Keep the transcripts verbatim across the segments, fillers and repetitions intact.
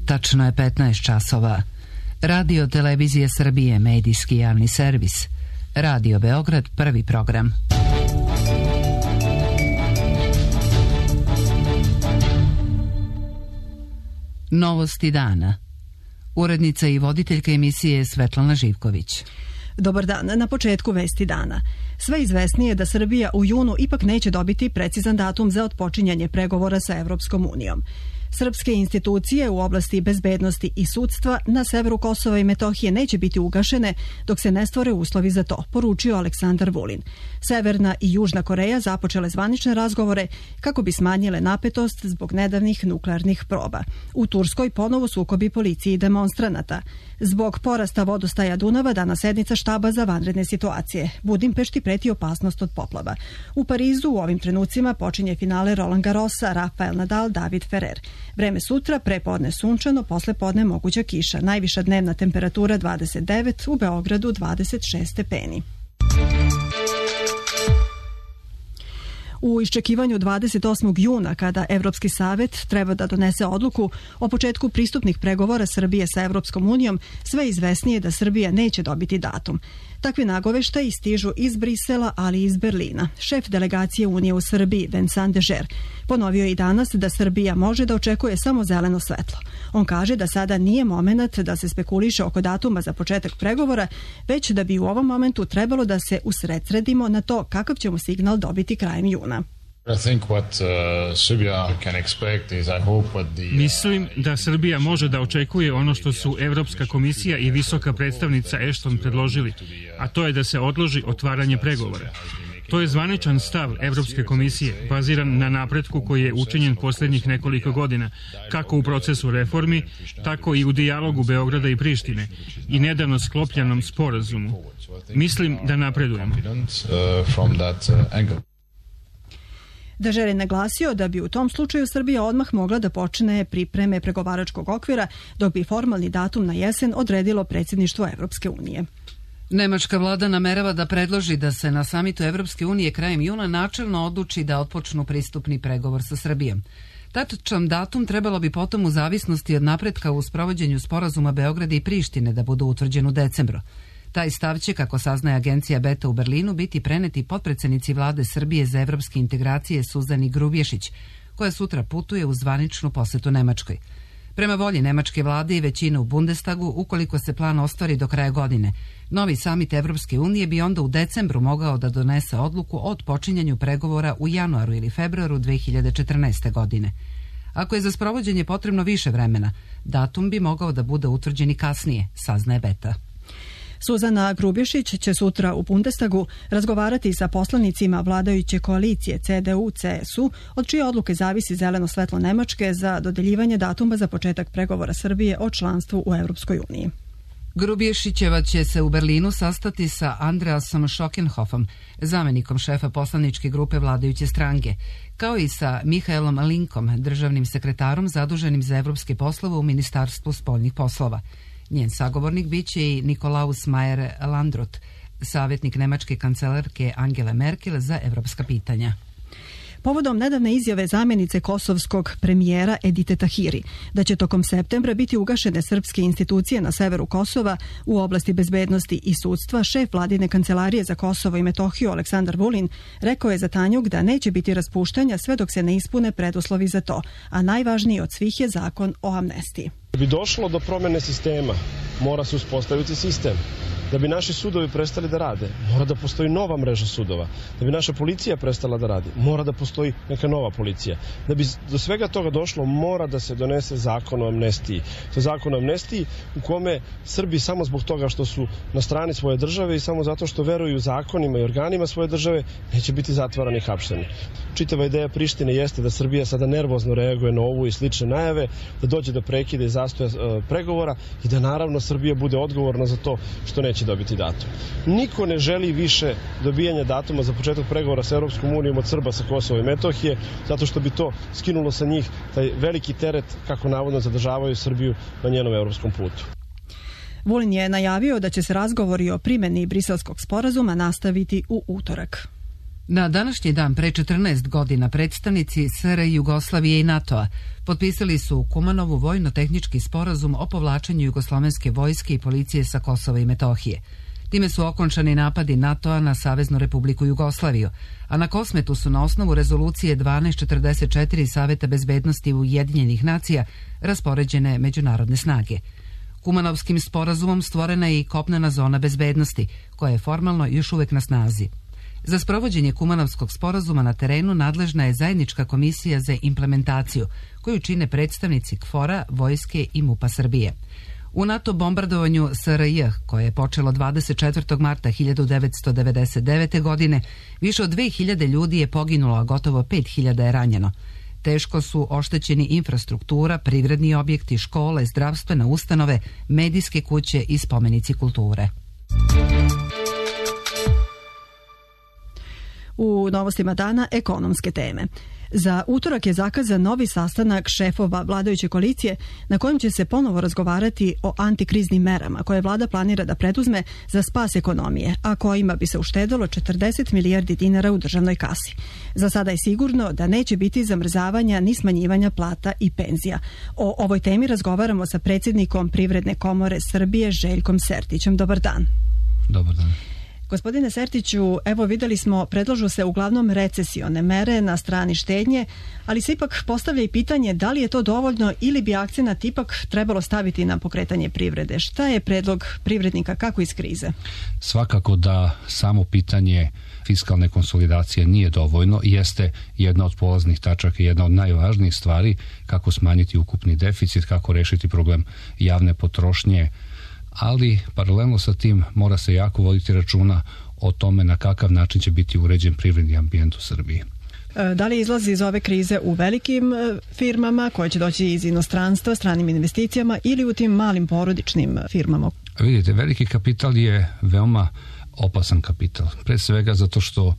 Tačno je petnaest časova. Radio Televizija Srbije, medijski javni servis. Radio Beograd, prvi program. Novosti dana. Urednica i voditeljka emisije Svetlana Živković. Dobar dan. Na početku vesti dana. Sve izvesnije da Srbija u junu ipak neće dobiti precizan datum za otpočinjanje pregovora sa Evropskom unijom. Srpske institucije u oblasti bezbednosti i sudstva na severu Kosova i Metohije neće biti ugašene dok se ne stvore uslovi za to, poručio Aleksandar Vulin. Severna i Južna Koreja započele zvanične razgovore kako bi smanjile napetost zbog nedavnih nuklearnih proba. U Turskoj ponovo sukobi policije i demonstranata. Zbog porasta vodostaja Dunava danas sednica štaba za vanredne situacije. Budimpešti preti opasnost od poplava. U Parizu u ovim trenucima počinje finale Roland Garrosa, Rafael Nadal, David Ferrer. Vreme sutra, prepodne sunčano, posle podne moguća kiša. Najviša dnevna temperatura dvadeset devet, u Beogradu dvadeset šest stepeni. U iščekivanju dvadeset osmog juna, kada Evropski savet treba da donese odluku o početku pristupnih pregovora Srbije sa Evropskom unijom, sve izvesnije da Srbija neće dobiti datum. Takvi nagoveštaji stižu iz Brisela, ali i iz Berlina. Šef delegacije Unije u Srbiji, Vincent Dežer, ponovio je i danas da Srbija može da očekuje samo zeleno svetlo. On kaže da sada nije moment da se spekuliše oko datuma za početak pregovora, već da bi u ovom momentu trebalo da se usredsredimo na to kakav ćemo signal dobiti krajem juna. Mislim da Srbija može da očekuje ono što su Evropska komisija i visoka predstavnica Ashton predložili, a to je da se odloži otvaranje pregovora. To je zvaničan stav Evropske komisije, baziran na napretku koji je učinjen posljednjih nekoliko godina, kako u procesu reformi, tako i u dijalogu Beograda i Prištine i nedavno sklopljenom sporazumu. Mislim da napredujemo. Dežer je naglasio da bi u tom slučaju Srbija odmah mogla da počne pripreme pregovaračkog okvira, dok bi formalni datum na jesen odredilo predsjedništvo Evropske unije. Nemačka vlada namerava da predloži da se na samitu Evropske unije krajem juna načelno odluči da otpočnu pristupni pregovor sa Srbijom. Tačan datum trebalo bi potom u zavisnosti od napretka u sprovođenju sporazuma Beograda i Prištine da budu utvrđen u decembru. Taj stav će, kako saznaje agencija Beta u Berlinu, biti preneti potpredsjednici vlade Srbije za evropske integracije Suzani Grubješić, koja sutra putuje u zvaničnu posetu Nemačkoj. Prema volji nemačke vlade i većine u Bundestagu, ukoliko se plan ostvari do kraja godine, novi samit Evropske unije bi onda u decembru mogao da donese odluku o otpočinjanju pregovora u januaru ili februaru dve hiljade četrnaeste. godine. Ako je za sprovođenje potrebno više vremena, datum bi mogao da bude utvrđen i kasnije, saznaje Beta. Suzana Grubješić će sutra u Bundestagu razgovarati sa poslanicima vladajuće koalicije C D U C S U, od čije odluke zavisi zeleno svetlo Nemačke za dodeljivanje datuma za početak pregovora Srbije o članstvu u Evropskoj uniji. Grubješićeva će se u Berlinu sastati sa Andreasom Schockenhoffom, zamenikom šefa poslaničke grupe vladajuće stranke, kao i sa Mihaelom Linkom, državnim sekretarom zaduženim za evropske poslove u Ministarstvu spoljnih poslova. Njen sagovornik biće i Nikolaus Mayer Landrut, savjetnik nemačke kancelarke Angele Merkel za evropska pitanja. Povodom nedavne izjave zamjenice kosovskog premijera Edite Tahiri da će tokom septembra biti ugašene srpske institucije na severu Kosova u oblasti bezbednosti i sudstva, šef vladine kancelarije za Kosovo i Metohiju Aleksandar Vulin rekao je za Tanjug da neće biti raspuštanja sve dok se ne ispune preduslovi za to, a najvažniji od svih je zakon o amnestiji. Da bi došlo do promjene sistema, mora se uspostaviti sistem. Da bi naši sudovi prestali da rade, mora da postoji nova mreža sudova. Da bi naša policija prestala da radi, mora da postoji neka nova policija. Da bi do svega toga došlo, mora da se donese zakon o amnestiji. To je zakon o amnestiji u kome Srbi samo zbog toga što su na strani svoje države i samo zato što veruju zakonima i organima svoje države, neće biti zatvarani i hapšeni. Čitava ideja Prištine jeste da Srbija sada nervozno reaguje na ovu i slične najave, da dođe do prekida i zastoja e, pregovora i da naravno Srbija bude odgovorna za to što neće dobiti datum. Niko ne želi više dobijanja datuma za početak pregovora sa Europskom unijom od Srba sa Kosova i Metohije, zato što bi to skinulo sa njih taj veliki teret kako navodno zadržavaju Srbiju na njenom europskom putu. Vulin je najavio da će se razgovori o primjeni briselskog sporazuma nastaviti u utorak. Na današnji dan pre četrnaest godina predstavnici S R Jugoslavije i NATO-a potpisali su u Kumanovu vojno-tehnički sporazum o povlačenju jugoslovenske vojske i policije sa Kosova i Metohije. Time su okončani napadi NATO-a na Saveznu Republiku Jugoslaviju, a na Kosmetu su na osnovu rezolucije dvanaest četrdeset četiri Saveta bezbednosti Ujedinjenih nacija raspoređene međunarodne snage. Kumanovskim sporazumom stvorena je i kopnena zona bezbednosti, koja je formalno još uvek na snazi. Za sprovođenje Kumanovskog sporazuma na terenu nadležna je zajednička komisija za implementaciju, koju čine predstavnici K F O R-a, Vojske i MUP-a Srbije. U NATO bombardovanju S R J, koje je počelo dvadeset četvrtog marta hiljadu devetsto devedeset devete. godine, više od dve hiljade ljudi je poginulo, a gotovo pet hiljada je ranjeno. Teško su oštećeni infrastruktura, privredni objekti, škole, zdravstvene ustanove, medijske kuće i spomenici kulture. U novostima dana ekonomske teme. Za utorak je zakazan novi sastanak šefova vladajuće koalicije na kojem će se ponovo razgovarati o antikriznim merama koje vlada planira da preduzme za spas ekonomije, a kojima bi se uštedelo četrdeset milijardi dinara u državnoj kasi. Za sada je sigurno da neće biti zamrzavanja ni smanjivanja plata i penzija. O ovoj temi razgovaramo sa predsjednikom Privredne komore Srbije Željkom Sertićem. Dobar dan. Dobar dan. Gospodine Sertiću, evo videli smo, predlažu se uglavnom recesione mere na strani štednje, ali se ipak postavlja i pitanje da li je to dovoljno ili bi akcenat ipak trebalo staviti na pokretanje privrede. Šta je predlog privrednika, kako iz krize? Svakako da samo pitanje fiskalne konsolidacije nije dovoljno, jeste jedna od polaznih tačaka i jedna od najvažnijih stvari kako smanjiti ukupni deficit, kako rešiti problem javne potrošnje, ali paralelno sa tim mora se jako voditi računa o tome na kakav način će biti uređen privredni ambijent u Srbiji. Da li izlazi iz ove krize u velikim firmama koje će doći iz inostranstva, stranim investicijama ili u tim malim porodičnim firmama? Vidite, veliki kapital je veoma opasan kapital. Pre svega zato što uh,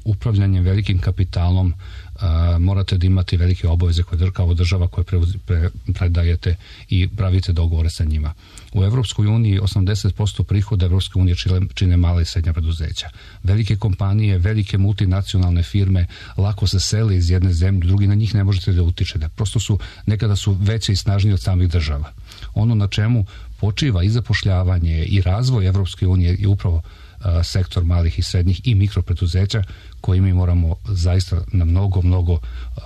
upravljanje velikim kapitalom Uh, morate da imate velike obaveze koje kao država koje pre, pre, predajete i pravite dogovore sa njima. U Evropskoj uniji osamdeset posto prihoda Evropske unije čine, čine male i srednja preduzeća. Velike kompanije, velike multinacionalne firme lako se sele iz jedne zemlje, drugi na njih ne možete da utičete. Prosto su, nekada su veće i snažnije od samih država. Ono na čemu počiva i zapošljavanje i razvoj Evropske unije je upravo sektor malih i srednjih i mikropreduzeća koji mi moramo zaista na mnogo, mnogo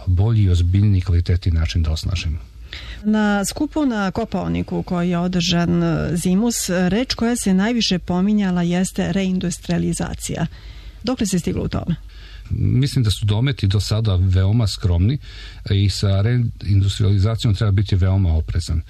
bolji i ozbiljniji kvalitetni način da osnažimo. Na skupu na Kopaoniku koji je održan zimus, reč koja se najviše pominjala jeste reindustrializacija. Dokle se stiglo u tome? Mislim da su dometi do sada veoma skromni i sa reindustrializacijom treba biti veoma oprezan.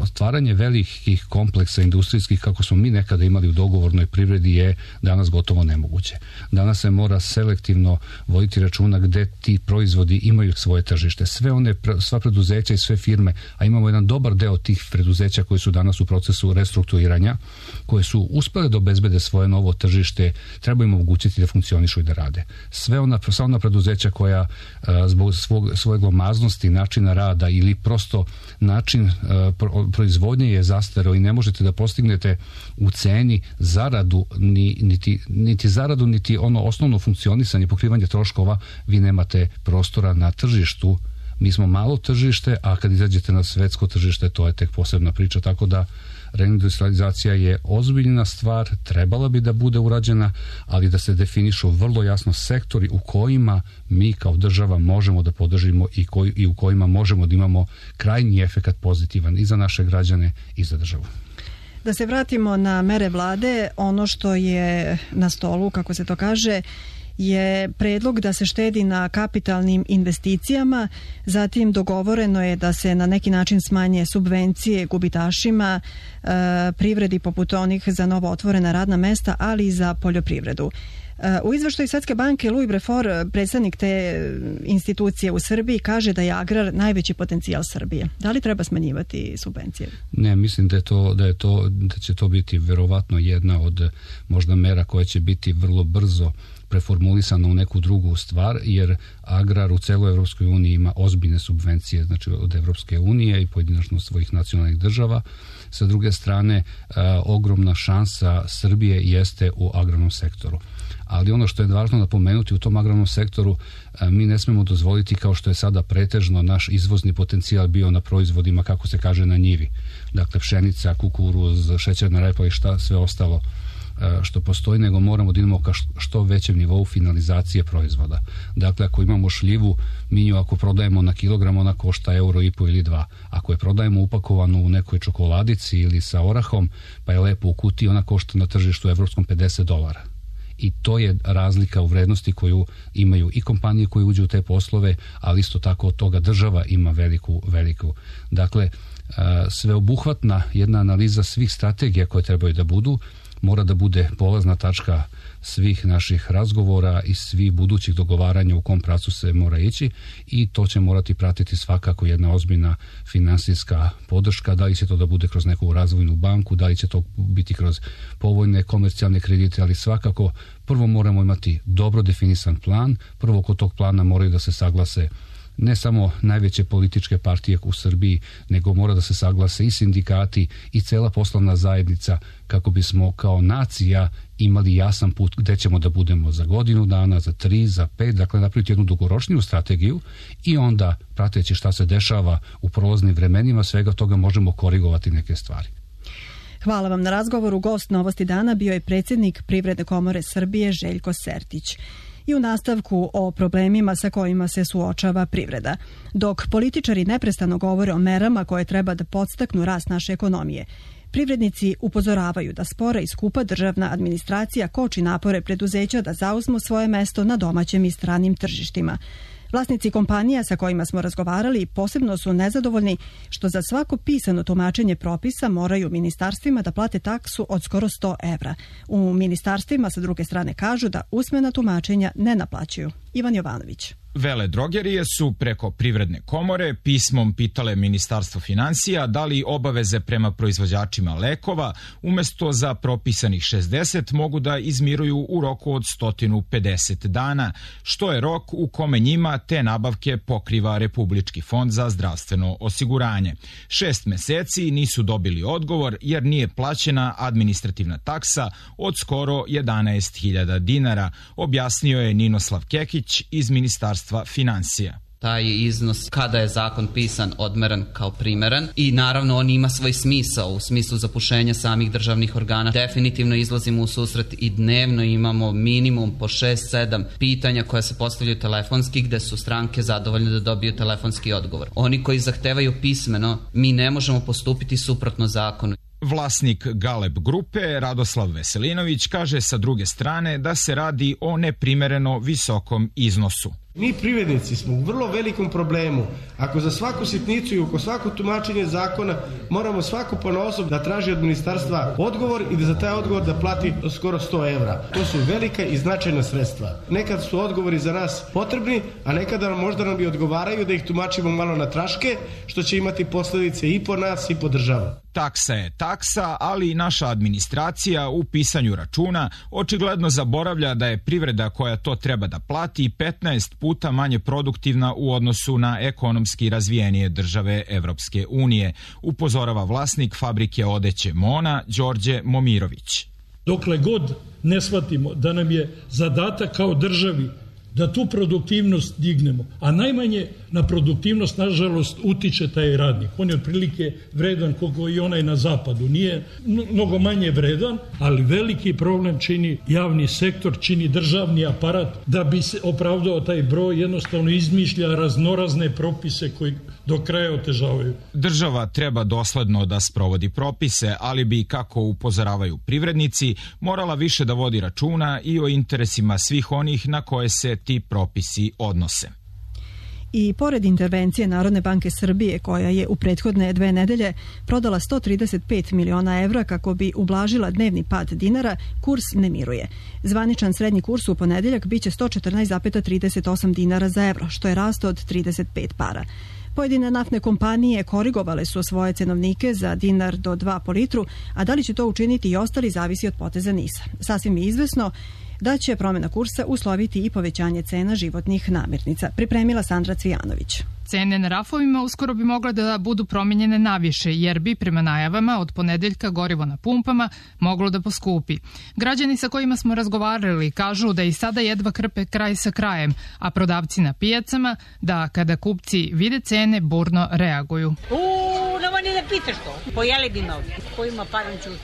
Stvaranje velikih kompleksa industrijskih kako smo mi nekada imali u dogovornoj privredi je danas gotovo nemoguće. Danas se mora selektivno voditi računa gde ti proizvodi imaju svoje tržište. Sve one, sva preduzeća i sve firme, a imamo jedan dobar deo tih preduzeća koji su danas u procesu restrukturiranja, koje su uspele da obezbede svoje novo tržište, treba im omogućiti da funkcionišu i da rade. Sve ona, sva ona preduzeća koja zbog svog, svoje glomaznosti, načina rada ili prosto način proizvodnje je zastareo i ne možete da postignete u ceni zaradu, ni, niti, niti zaradu, niti ono osnovno funkcionisanje, pokrivanje troškova, vi nemate prostora na tržištu. Mi smo malo tržište, a kad izađete na svetsko tržište, to je tek posebna priča, tako da reindustrializacija je ozbiljna stvar, trebala bi da bude urađena, ali da se definišu vrlo jasno sektori u kojima mi kao država možemo da podržimo i, koji, i u kojima možemo da imamo krajnji efekat pozitivan i za naše građane i za državu. Da se vratimo na mere vlade, ono što je na stolu, kako se to kaže, je predlog da se štedi na kapitalnim investicijama, zatim dogovoreno je da se na neki način smanje subvencije gubitašima, e, privredi poput onih za novo otvorena radna mesta, ali i za poljoprivredu. E, u izveštaju Svetske banke Louis Brefort, predstavnik te institucije u Srbiji, kaže da je agrar najveći potencijal Srbije. Da li treba smanjivati subvencije? Ne, mislim da je to, da je to, da će to biti verovatno jedna od možda mera koja će biti vrlo brzo preformulisano u neku drugu stvar, jer agrar u celoj Evropskoj uniji ima ozbiljne subvencije, znači od Evropske unije i pojedinačno svojih nacionalnih država. Sa druge strane, a, ogromna šansa Srbije jeste u agrarnom sektoru. Ali ono što je važno napomenuti u tom agrarnom sektoru, mi ne smemo dozvoliti, kao što je sada pretežno naš izvozni potencijal bio na proizvodima, kako se kaže, na njivi. Dakle, pšenica, kukuruz, šećerna repa i šta sve ostalo što postoji, nego moramo da idemo ka što većem nivou finalizacije proizvoda. Dakle, ako imamo šljivu, mi nju ako prodajemo na kilogram, ona košta euro i po ili dva. Ako je prodajemo upakovanu u nekoj čokoladici ili sa orahom, pa je lepo u kutiji, ona košta na tržištu evropskom pedeset dolara. I to je razlika u vrednosti koju imaju i kompanije koje uđu u te poslove, ali isto tako od toga država ima veliku, veliku. Dakle, sveobuhvatna jedna analiza svih strategija koje trebaju da budu, mora da bude polazna tačka svih naših razgovora i svih budućih dogovaranja u kom pravcu se mora ići, i to će morati pratiti svakako jedna ozbiljna finansijska podrška, da li će to da bude kroz neku razvojnu banku, da li će to biti kroz povoljne komercijalne kredite, ali svakako prvo moramo imati dobro definisan plan, prvo kod tog plana moraju da se saglase ne samo najveće političke partije u Srbiji, nego mora da se saglase i sindikati i cela poslovna zajednica, kako bismo kao nacija imali jasan put gde ćemo da budemo za godinu dana, za tri, za pet, dakle napraviti jednu dugoročniju strategiju i onda, prateći šta se dešava u prolaznim vremenima, svega toga možemo korigovati neke stvari. Hvala vam na razgovoru. Gost Novosti dana bio je predsjednik Privredne komore Srbije Željko Sertić. I u nastavku o problemima sa kojima se suočava privreda. Dok političari neprestano govore o merama koje treba da podstaknu rast naše ekonomije, privrednici upozoravaju da spora i skupa državna administracija koči napore preduzeća da zauzmu svoje mesto na domaćem i stranim tržištima. Vlasnici kompanija sa kojima smo razgovarali posebno su nezadovoljni što za svako pisano tumačenje propisa moraju ministarstvima da plate taksu od skoro sto evra. U ministarstvima sa druge strane kažu da usmena tumačenja ne naplaćuju. Ivan Jovanović. Vele drogerije su preko Privredne komore pismom pitale Ministarstvo finansija da li obaveze prema proizvođačima lekova umesto za propisanih šezdeset mogu da izmiruju u roku od sto pedeset dana, što je rok u kome njima te nabavke pokriva Republički fond za zdravstveno osiguranje. Šest meseci nisu dobili odgovor jer nije plaćena administrativna taksa od skoro jedanaest hiljada dinara, objasnio je Ninoslav Kekić iz Ministarstva finansija. Taj iznos, kada je zakon pisan, odmeren kao primeren i naravno on ima svoj smisao u smislu zapušenja samih državnih organa. Definitivno izlazimo u susret i dnevno imamo minimum po šest sedam pitanja koja se postavljaju telefonski, gde su stranke zadovoljne da dobiju telefonski odgovor. Oni koji zahtevaju pismeno, mi ne možemo postupiti suprotno zakonu. Vlasnik Galeb grupe, Radoslav Veselinović, kaže sa druge strane da se radi o neprimereno visokom iznosu. Mi privrednici smo u vrlo velikom problemu. Ako za svaku sitnicu i oko svako tumačenje zakona moramo svako ponaosob da traži od ministarstva odgovor i da za taj odgovor da plati skoro sto evra. To su velika i značajna sredstva. Nekad su odgovori za nas potrebni, a nekada nam možda nam i odgovaraju da ih tumačimo malo na traške, što će imati posledice i po nas i po državu. Taksa je taksa, ali naša administracija u pisanju računa očigledno zaboravlja da je privreda koja to treba da plati petnaest puta manje produktivna u odnosu na ekonomski razvijenije države Evropske unije, upozorava vlasnik fabrike odeće Mona, Đorđe Momirović. Dokle god ne shvatimo da nam je zadatak kao državi da tu produktivnost dignemo, a najmanje na produktivnost, nažalost, utiče taj radnik. On je otprilike vredan koliko i onaj na zapadu. Nije mnogo manje vredan, ali veliki problem čini javni sektor, čini državni aparat. Da bi se opravdao taj broj, jednostavno izmišlja raznorazne propise koji do kraja otežavaju. Država treba dosledno da sprovodi propise, ali bi, kako upozoravaju privrednici, morala više da vodi računa i o interesima svih onih na koje se ti propisi odnose. I pored intervencije Narodne banke Srbije, koja je u prethodne dve nedelje prodala sto trideset pet miliona evra kako bi ublažila dnevni pad dinara, kurs ne miruje. Zvaničan srednji kurs u ponedeljak biće sto četrnaest zarez trideset osam dinara za evro, što je rast od trideset pet para. Pojedine naftne kompanije korigovale su svoje cenovnike za dinar do dva po litru, a da li će to učiniti i ostali zavisi od poteza NIS-a. Sasvim je izvesno da će promjena kursa usloviti i povećanje cena životnih namirnica. Pripremila Sandra Cvijanović. Cene na rafovima uskoro bi mogle da budu promenjene naviše, jer bi prema najavama od ponedeljka gorivo na pumpama moglo da poskupi. Građani sa kojima smo razgovarali kažu da i sada jedva krpe kraj sa krajem, a prodavci na pijacama da kada kupci vide cene burno reaguju. Uuu, nema ni da pitaš to. Pojeli bi me ovdje. Ko ima paran čuti.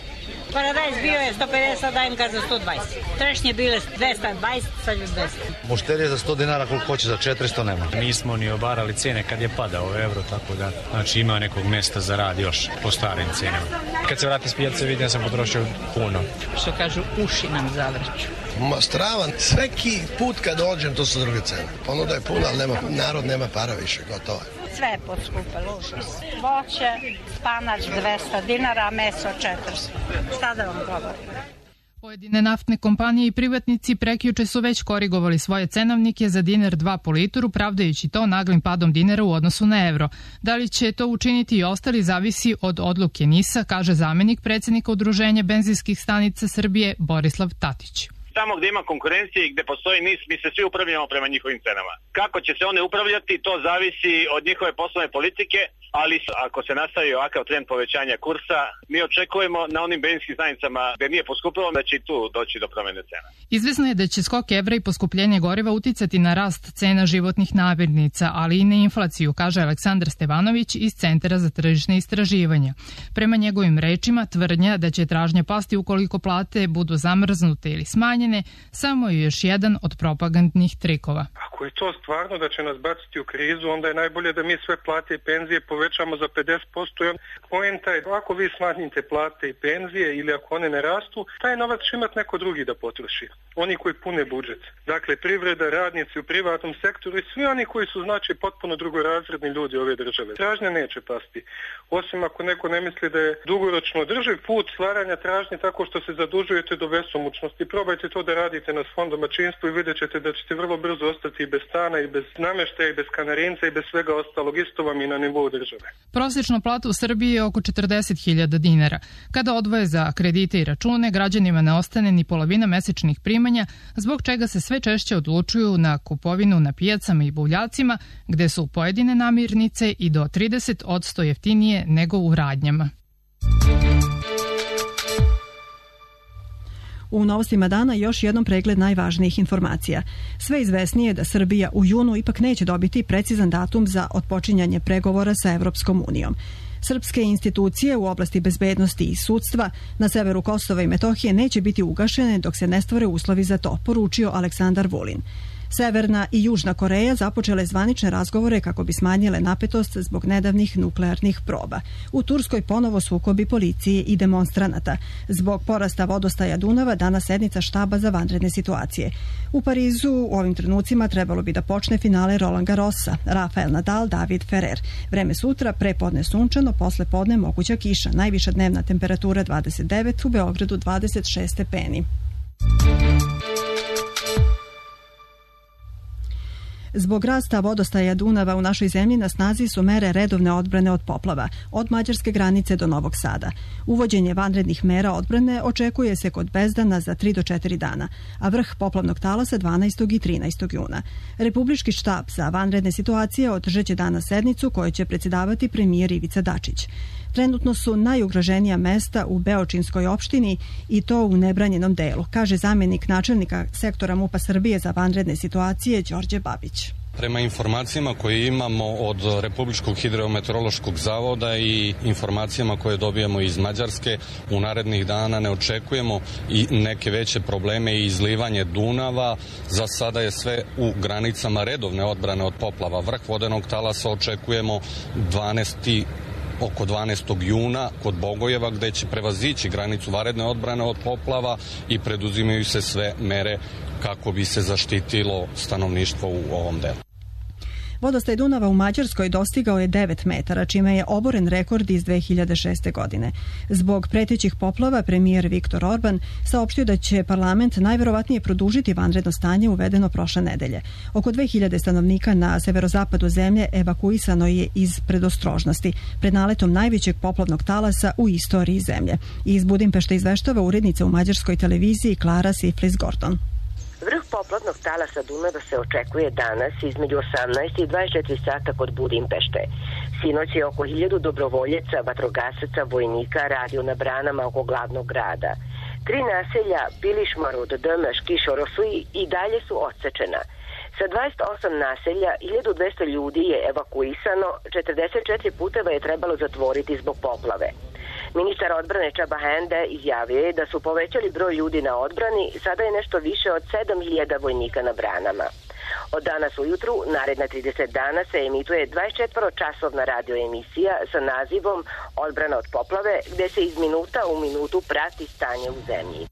Paradajz bio je sto pedeset, sad dajem ga za sto dvadeset. Trešnje bile dvesta dvadeset, sad je dvesta. Mušterije za sto dinara koliko hoće, za četiristo nema. Nismo ni obarali cene kad je padao evro, tako da znači ima nekog mesta za rad još po starim cenama. Kad se vrati s pijace vidim da sam potrošio puno. Što kažu, uši nam zavrću. Ma stravan, svaki put kad dođem to su druge cene. Ponuda je puna, ali nema, narod nema para više, gotovo je. Sve je poskupilo, užas. Voće, spanač dvesta dinara, meso četiristo. Šta da vam govorim? Pojedine naftne kompanije i privatnici prekjuče su već korigovali svoje cenovnike za dinar dva po litru, pravdajući to naglim padom dinara u odnosu na evro. Da li će to učiniti i ostali zavisi od odluke NIS-a, kaže zamenik predsjednika Udruženja benzinskih stanica Srbije Borislav Tatić. Tamo gde ima konkurencije i gde postoji NIS, mi se svi upravljamo prema njihovim cenama. Kako će se one upravljati, to zavisi od njihove poslovne politike, ali ako se nastavi ovakav trend povećanja kursa, mi očekujemo na onim benzinskim stanicama gde nije poskupilo da će i tu doći do promene cena. Izvesno je da će skok evra i poskupljenje goriva uticati na rast cena životnih namirnica, ali i na inflaciju, kaže Aleksandar Stevanović iz Centra za tržišne istraživanja. Prema njegovim rečima, tvrdnja da će tražnja pasti ukoliko plate budu zamrznute ili smanjene, samo je još jedan od propagandnih trikova. Ako je to stvarno da će nas baciti u krizu, onda je najbolje da mi sve plate i penzije povećamo za pedeset posto. Poenta je, ako vi smanjite plate i penzije ili ako one ne rastu, taj novac će imati neko drugi da potroši. Oni koji pune budžet. Dakle, privreda, radnici u privatnom sektoru i svi oni koji su znači potpuno drugorazredni ljudi ove države. Tražnja neće pasti. Osim ako neko ne misli da je dugoročno održiv put stvaranja tražnje tako što se zadužujete do besomučnosti. Probajte to da radite na svom domaćinstvu i vidjet ćete da ćete vrlo brzo ostati i bez stana, i bez nameštaja, i bez kanarinca, i bez svega ostalog. Isto vam i na nivou države. Prosječna plata u Srbiji je oko četrdeset hiljada dinara. Kada odvoje za kredite i račune, građanima ne ostane ni polovina mesečnih primanja, zbog čega se sve češće odlučuju na kupovinu na pijacama i buvljacima, gde su pojedine namirnice i do trideset posto jeftinije nego u radnjama. U novostima dana još jednom pregled najvažnijih informacija. Sve izvesnije da Srbija u junu ipak neće dobiti precizan datum za otpočinjanje pregovora sa Evropskom unijom. Srpske institucije u oblasti bezbednosti i sudstva na severu Kosova i Metohije neće biti ugašene dok se ne stvore uslovi za to, poručio Aleksandar Vulin. Severna i Južna Koreja započele zvanične razgovore kako bi smanjile napetost zbog nedavnih nuklearnih proba. U Turskoj ponovo sukobi policije i demonstranata. Zbog porasta vodostaja Dunava danas sednica štaba za vanredne situacije. U Parizu u ovim trenucima trebalo bi da počne finale Roland Garrosa. Rafael Nadal, David Ferrer. Vreme sutra, prepodne sunčano, posle podne moguća kiša. Najviša dnevna temperatura dvadeset devet, u Beogradu dvadeset šest stepeni. Zbog rasta vodostaja Dunava u našoj zemlji na snazi su mere redovne odbrane od poplava, od mađarske granice do Novog Sada. Uvođenje vanrednih mera odbrane očekuje se kod Bezdana za tri do četiri dana, a vrh poplavnog talasa dvanaestog i trinaestog juna. Republički štab za vanredne situacije održaće danas sednicu kojoj će predsjedavati premijer Ivica Dačić. Trenutno su najugroženija mesta u Beočinskoj opštini i to u nebranjenom delu, kaže zamjenik načelnika sektora MUP-a Srbije za vanredne situacije Đorđe Babić. Prema informacijama koje imamo od Republičkog hidrometeorološkog zavoda i informacijama koje dobijamo iz Mađarske, u narednih dana ne očekujemo i neke veće probleme i izlivanje Dunava. Za sada je sve u granicama redovne odbrane od poplava. Vrh vodenog talasa očekujemo dvanaestog oko dvanaestog juna kod Bogojeva, gde će prevazići granicu vanredne odbrane od poplava i preduzimaju se sve mere kako bi se zaštitilo stanovništvo u ovom delu. Vodostaj Dunava u Mađarskoj dostigao je devet metara, čime je oboren rekord iz dve hiljade šeste. godine. Zbog pretećih poplava, premijer Viktor Orban saopštio da će parlament najverovatnije produžiti vanredno stanje uvedeno prošle nedelje. Oko dve hiljade stanovnika na severozapadu zemlje evakuisano je iz predostrožnosti, pred naletom najvećeg poplavnog talasa u istoriji zemlje. Iz Budimpešte izveštava urednica u mađarskoj televiziji Klara Siflis-Gordon. Vrh toplotnog talasa Dunava se očekuje danas između osamnaest i dvadeset četiri sata kod Budimpešte. Sinoć je oko hiljadu dobrovoljeca, vatrogasaca, vojnika radio na branama oko glavnog grada. Tri naselja, Bilišmarud, Dmš, Kišorosuj i dalje su odsečena. Sa dvadeset osam naselja, hiljadu dvesta ljudi je evakuisano, četrdeset četiri puteva je trebalo zatvoriti zbog poplave. Ministar odbrane Čaba Hende izjavio je da su povećali broj ljudi na odbrani, sada je nešto više od sedam hiljada vojnika na branama. Od danas ujutru, naredna trideset dana, se emituje dvadesetčetvoročasovna radioemisija sa nazivom Odbrana od poplave, gde se iz minuta u minutu prati stanje u zemlji.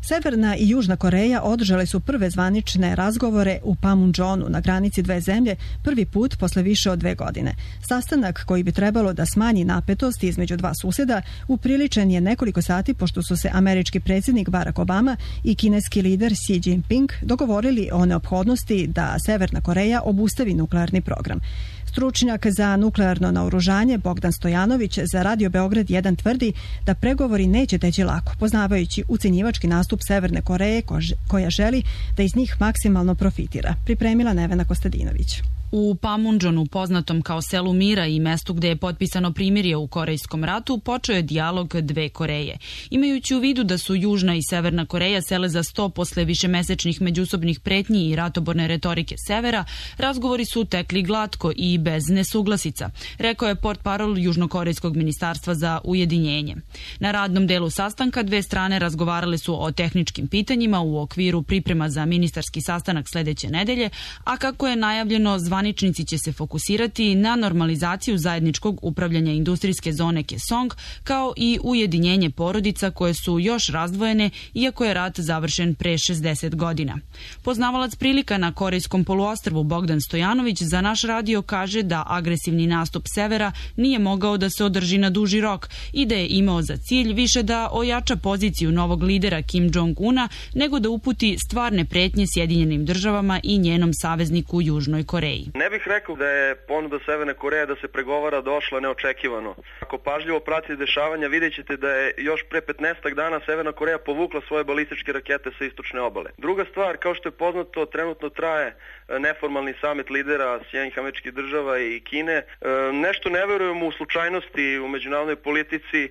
Severna i Južna Koreja održale su prve zvanične razgovore u Panmunjonu na granici dve zemlje prvi put posle više od dve godine. Sastanak koji bi trebalo da smanji napetost između dva suseda upriličen je nekoliko sati pošto su se američki predsjednik Barack Obama i kineski lider Xi Jinping dogovorili o neophodnosti da Severna Koreja obustavi nuklearni program. Stručnjak za nuklearno naoružanje Bogdan Stojanović za Radio Beograd jedan tvrdi da pregovori neće teći lako, poznavajući ucenjivački nastup Severne Koreje koja želi da iz njih maksimalno profitira. Pripremila Nevena Kostadinović. U Panmunjonu, poznatom kao selu mira i mestu gde je potpisano primirje u Korejskom ratu, počeo je dijalog dve Koreje. Imajući u vidu da su Južna i Severna Koreja sele za sto posle višemesečnih međusobnih pretnji i ratoborne retorike Severa, razgovori su tekli glatko i bez nesuglasica, rekao je portparol Južnokorejskog ministarstva za ujedinjenje. Na radnom delu sastanka dve strane razgovarale su o tehničkim pitanjima u okviru priprema za ministarski sastanak sledeće nedelje, a kako je najavljeno, zvaničnici će se fokusirati na normalizaciju zajedničkog upravljanja industrijske zone Kaesong, kao i ujedinjenje porodica koje su još razdvojene, iako je rat završen pre šezdeset godina. Poznavalac prilika na Korejskom poluostrvu Bogdan Stojanović za naš radio kaže da agresivni nastup Severa nije mogao da se održi na duži rok i da je imao za cilj više da ojača poziciju novog lidera Kim Jong-una nego da uputi stvarne pretnje Sjedinjenim državama i njenom savezniku Južnoj Koreji. Ne bih rekao da je ponuda Severne Koreje da se pregovara došla neočekivano. Ako pažljivo pratite dešavanja, vidjet ćete da je još pre petnaestak dana Severna Koreja povukla svoje balističke rakete sa istočne obale. Druga stvar, kao što je poznato, trenutno traje neformalni samit lidera Sjedinjenih Američkih Država i Kine. Nešto ne verujemo u slučajnosti u međunarodnoj politici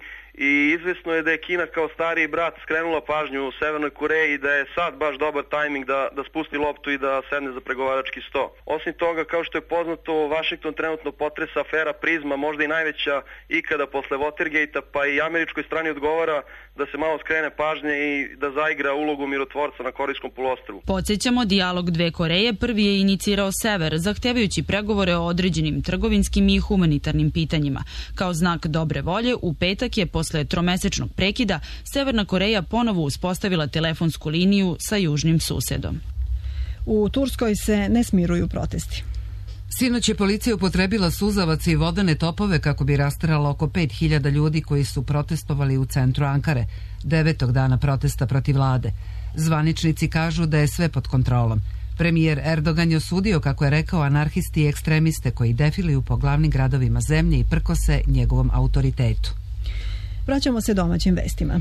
i izvesno je da je Kina kao stariji brat skrenula pažnju u Severnoj Koreji i da je sad baš dobar tajming da, da spusti loptu i da sedne za pregovarački sto. Osim toga, kao što je poznato, Vašington trenutno potresa afera Prizma, možda i najveća ikada posle Watergate-a, pa i američkoj strani odgovara da se malo skrene pažnje i da zaigra ulogu mirotvorca na Korejskom poluostrvu. Podsjećamo, dijalog dve Koreje prvi je inicirao Sever, zahtevajući pregovore o određenim trgovinskim i humanitarnim pitanjima. Kao znak dobre volje, u petak je posle tromesečnog prekida Severna Koreja ponovo uspostavila telefonsku liniju sa južnim susedom. U Turskoj se ne smiruju protesti. Sinoć je policija upotrebila suzavac i vodene topove kako bi rasterala oko pet hiljada ljudi koji su protestovali u centru Ankare, devetog dana protesta protiv vlade. Zvaničnici kažu da je sve pod kontrolom. Premijer Erdogan je osudio, kako je rekao, anarhisti i ekstremiste koji defiluju po glavnim gradovima zemlje i prkose njegovom autoritetu. Vraćamo se domaćim vestima.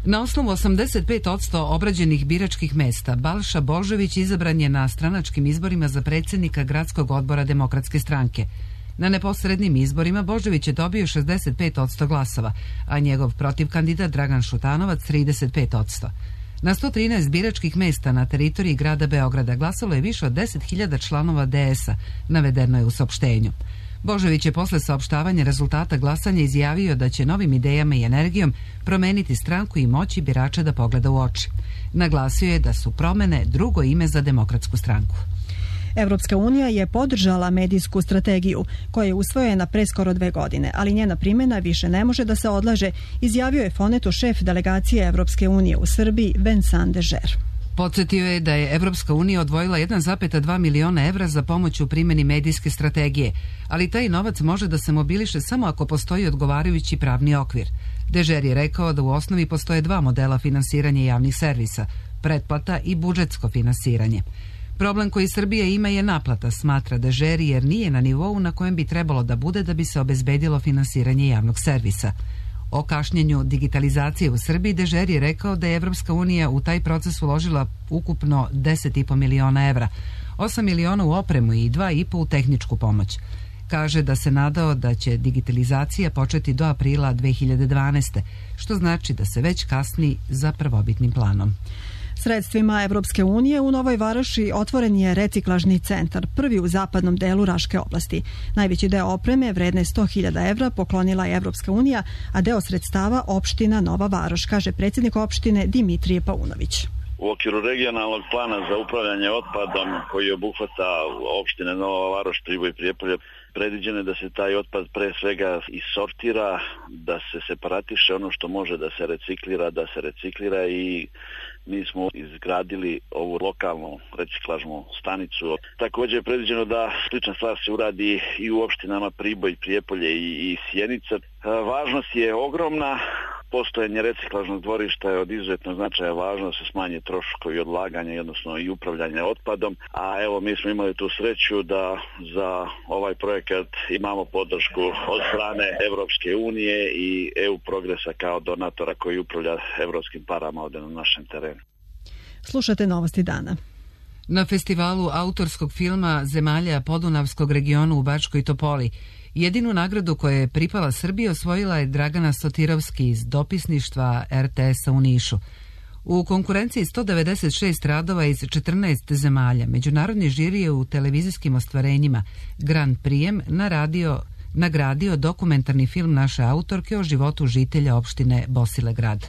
Na osnovu osamdeset pet posto obrađenih biračkih mesta, Balša Božović izabran je na stranačkim izborima za predsjednika Gradskog odbora Demokratske stranke. Na neposrednim izborima Božović je dobio šezdeset pet posto glasova, a njegov protivkandidat Dragan Šutanovac trideset pet posto. Na sto trinaest biračkih mesta na teritoriji grada Beograda glasalo je više od deset hiljada članova D S-a, navedeno je u saopštenju. Božović je posle saopštavanja rezultata glasanja izjavio da će novim idejama i energijom promeniti stranku i moći birača da pogleda u oči. Naglasio je da su promene drugo ime za Demokratsku stranku. Evropska unija je podržala medijsku strategiju koja je usvojena pre skoro dve godine, ali njena primjena više ne može da se odlaže, izjavio je Fonetu šef delegacije Evropske unije u Srbiji Vincent Dežer. Podsjetio je da je Evropska unija odvojila jedan zarez dva miliona evra za pomoć u primjeni medijske strategije, ali taj novac može da se mobiliše samo ako postoji odgovarajući pravni okvir. Dežer je rekao da u osnovi postoje dva modela finansiranja javnih servisa, pretplata i budžetsko finansiranje. Problem koji Srbija ima je naplata, smatra Dežer, jer nije na nivou na kojem bi trebalo da bude da bi se obezbedilo finansiranje javnog servisa. O kašnjenju digitalizacije u Srbiji Dežer je rekao da je Evropska unija u taj proces uložila ukupno deset i po miliona evra, osam miliona u opremu i dva i po u tehničku pomoć. Kaže da se nadao da će digitalizacija početi do aprila dve hiljade dvanaeste. što znači da se već kasni za prvobitnim planom. Sredstvima Evropske unije u Novoj Varoši otvoren je reciklažni centar, prvi u zapadnom delu Raške oblasti. Najveći deo opreme, vredne sto hiljada evra, poklonila je Evropska unija, a deo sredstava opština Nova Varoš, kaže predsjednik opštine Dimitrije Paunović. U okviru regionalnog plana za upravljanje otpadom koji obuhvata opštine Nova Varoš, Priboj i Prijepolje, predviđeno je da se taj otpad pre svega isortira, da se separatiše, ono što može da se reciklira, da se reciklira i mi smo izgradili ovu lokalnu reciklažnu stanicu. Također je predviđeno da slična stvar se uradi i u opštinama Priboj, Prijepolje i, i Sjenica. Važnost je ogromna. Postojanje reciklažnog dvorišta je od izuzetnog značaja važno da se smanje troškovi odlaganja, odnosno i upravljanja otpadom, a evo mi smo imali tu sreću da za ovaj projekat imamo podršku od strane Evropske unije i E U Progresa kao donatora koji upravlja evropskim parama ovdje na našem terenu. Slušate Novosti dana. Na festivalu autorskog filma zemalja Podunavskog regionu u Bačkoj Topoli jedinu nagradu koja je pripala Srbiji osvojila je Dragana Sotirovski iz dopisništva R T S-a u Nišu. U konkurenciji sto devedeset šest radova iz četrnaest zemalja, međunarodni žiri je u televizijskim ostvarenjima Grand Prijem naradio, nagradio dokumentarni film naše autorke o životu žitelja opštine Bosilegrad.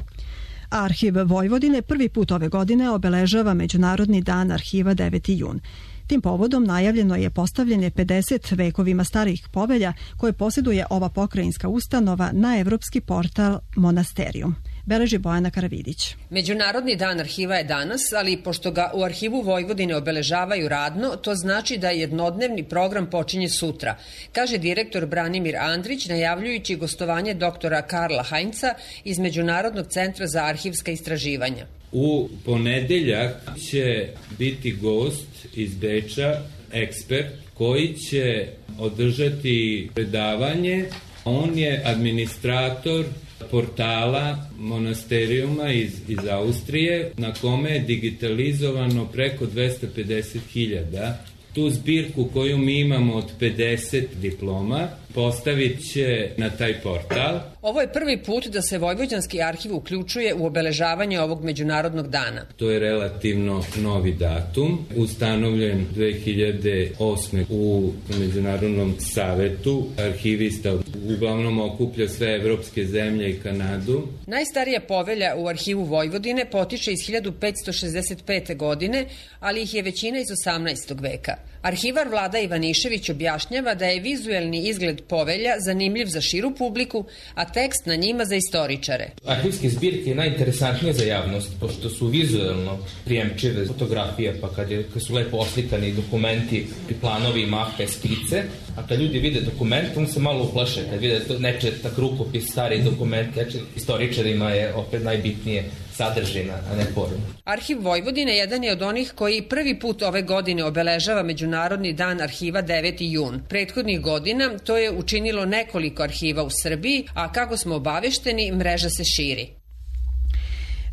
Arhiv Vojvodine prvi put ove godine obeležava Međunarodni dan arhiva deveti jun. Tim povodom najavljeno je postavljanje pedeset vekovima starih povelja koje posjeduje ova pokrajinska ustanova na evropski portal Monasterijum. Beleži Bojana Karavidić. Međunarodni dan arhiva je danas, ali pošto ga u arhivu Vojvodine obeležavaju radno, to znači da jednodnevni program počinje sutra, kaže direktor Branimir Andrić, najavljujući gostovanje doktora Karla Hajnca iz Međunarodnog centra za arhivska istraživanja. U ponedeljak će biti gost iz Beča, ekspert, koji će održati predavanje. On je administrator portala Monasterijuma iz, iz Austrije, na kome je digitalizovano preko dvesta pedeset hiljada. Tu zbirku koju mi imamo od pedeset diploma postavit će na taj portal. Ovo je prvi put da se Vojvođanski arhiv uključuje u obeležavanje ovog međunarodnog dana. To je relativno novi datum, ustanovljen dve hiljade osme u Međunarodnom savetu arhivista, uglavnom okuplja sve evropske zemlje i Kanadu. Najstarija povelja u arhivu Vojvodine potiče iz hiljadu petsto šezdeset pete. godine, ali ih je većina iz osamnaestog veka. Arhivar Vlada Ivanišević objašnjava da je vizuelni izgled povelja zanimljiv za širu publiku, a tekst na njima za istoričare. Arhivske zbirke je najinteresantnije za javnost, pošto su vizuelno prijemčive fotografije, pa kad, je, kad su lepo oslikani dokumenti, planovi, mape, skice, a kad ljudi vide dokument, on se malo uplaše, kad vide neče tak rukopis, stari dokument, neče istoričarima je opet najbitnije sadržina, a ne forma. Arhiv Vojvodine jedan je od onih koji prvi put ove godine obeležava Međunarodni dan arhiva deveti jun. Prethodnih godina to je učinilo nekoliko arhiva u Srbiji, a kako smo obavešteni, mreža se širi.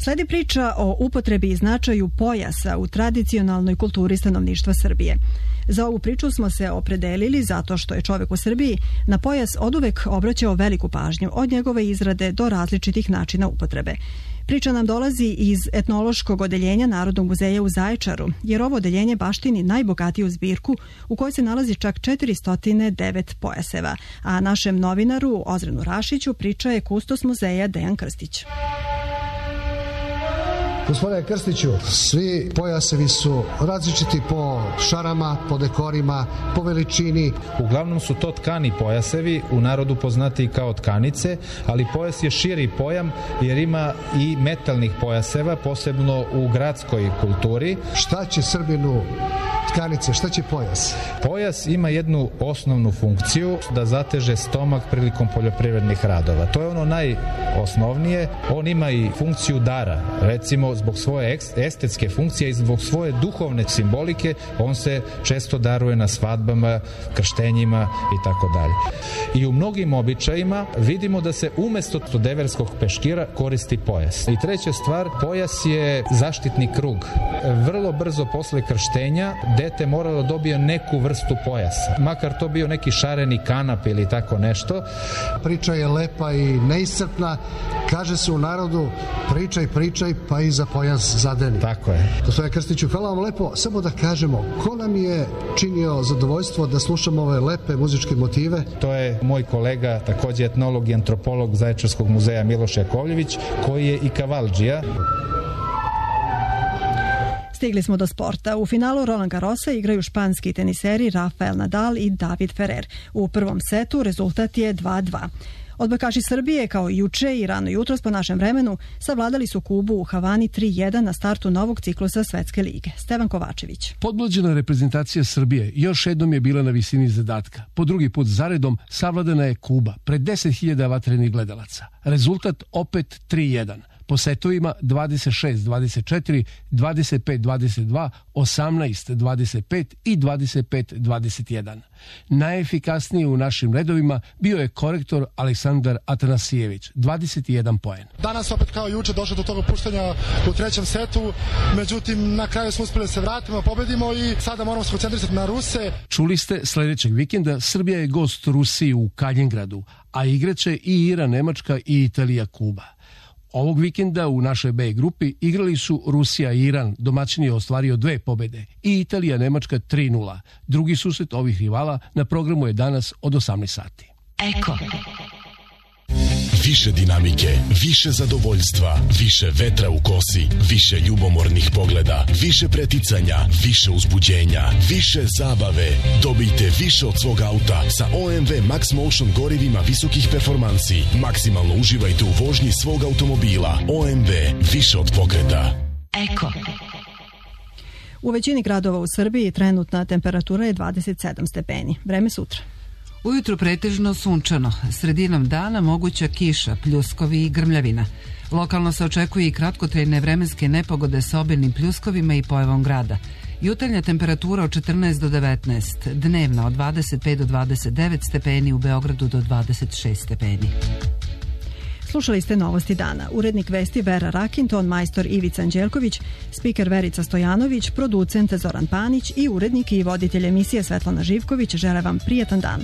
Sledi priča o upotrebi i značaju pojasa u tradicionalnoj kulturi stanovništva Srbije. Za ovu priču smo se opredelili zato što je čovjek u Srbiji na pojas oduvek obraćao veliku pažnju, od njegove izrade do različitih načina upotrebe. Priča nam dolazi iz etnološkog odeljenja Narodnog muzeja u Zaječaru, jer ovo odeljenje baštini najbogatiju zbirku u kojoj se nalazi čak četiristo devet pojaseva, a našem novinaru Ozrenu Rašiću priča je kustos muzeja Dejan Krstić. Gospodine Krstiću, svi pojasevi su različiti po šarama, po dekorima, po veličini. Uglavnom su to tkani pojasevi, u narodu poznati kao tkanice, ali pojas je širi pojam jer ima i metalnih pojaseva, posebno u gradskoj kulturi. Šta će Srbinu tkanice, šta će pojas? Pojas ima jednu osnovnu funkciju da zateže stomak prilikom poljoprivrednih radova. To je ono najosnovnije. On ima i funkciju dara. Recimo, zbog svoje estetske funkcije i zbog svoje duhovne simbolike, on se često daruje na svadbama, krštenjima i tako dalje. I u mnogim običajima vidimo da se umesto deverskog peškira koristi pojas. I treća stvar, pojas je zaštitni krug. Vrlo brzo posle krštenja dete moralo dobije neku vrstu pojasa. Makar to bio neki šareni kanap ili tako nešto. Priča je lepa i neiscrpna. Kaže se u narodu pričaj, pričaj, pa i za pojas zadeni. Tako je. Gospodine Krstiću, hvala vam lepo. Samo da kažemo, ko nam je činio zadovoljstvo da slušamo ove lepe muzičke motive? To je moj kolega, takođe etnolog i antropolog Zaječarskog muzeja Miloš Jakovljević, koji je i kavaldžija. Stigli smo do sporta. U finalu Roland Garrosa igraju španski teniseri Rafael Nadal i David Ferrer. U prvom setu rezultat je dva dva. Odbojkaši Srbije, kao i juče i rano jutros po našem vremenu, savladali su Kubu u Havani tri jedan na startu novog ciklusa Svetske lige. Stevan Kovačević. Podmlađena reprezentacija Srbije još jednom je bila na visini zadatka. Po drugi put zaredom savladana je Kuba pred deset hiljada vatrenih gledalaca. Rezultat opet tri jedan. Po setovima dvadeset šest dvadeset četiri, dvadeset pet dvadeset dva, osamnaest dvadeset pet i dvadeset pet dvadeset jedan. Najefikasniji u našim redovima bio je korektor Aleksandar Atanasijević, dvadeset jedan poen. Danas opet kao juče došlo do toga puštanja u trećem setu, međutim na kraju smo uspeli da se vratimo, pobedimo i sada moramo se koncentrisati na Ruse. Čuli ste, sledećeg vikenda Srbija je gost Rusiji u Kaljengradu, a igraće i Iran, Nemačka i Italija, Kuba. Ovog vikenda u našoj B grupi igrali su Rusija i Iran, domaćin je ostvario dve pobede, i Italija, Nemačka tri nula. Drugi susret ovih rivala na programu je danas od osamnaest sati. Eko. Više dinamike, više zadovoljstva, više vetra u kosi, više ljubomornih pogleda, više preticanja, više uzbuđenja, više zabave. Dobijte više od svog auta sa O M V Max Motion gorivima visokih performansi. Maksimalno uživajte u vožnji svog automobila. O M V, više od pokreta. Eko. U većini gradova u Srbiji trenutna temperatura je dvadeset sedam stepeni. Vreme sutra. Ujutru pretežno sunčano, sredinom dana moguća kiša, pljuskovi i grmljavina. Lokalno se očekuje i kratkotrajne vremenske nepogode sa obilnim pljuskovima i pojavom grada. Jutarnja temperatura od četrnaest do devetnaest, dnevna od dvadeset pet do dvadeset devet stepeni, u Beogradu do dvadeset šest stepeni. Slušali ste Novosti dana. Urednik vesti Vera Rakin, ton majstor Ivica Anđelković, spiker Verica Stojanović, producent Zoran Panić i urednik i voditelj emisije Svetlana Živković žele vam prijatan dan.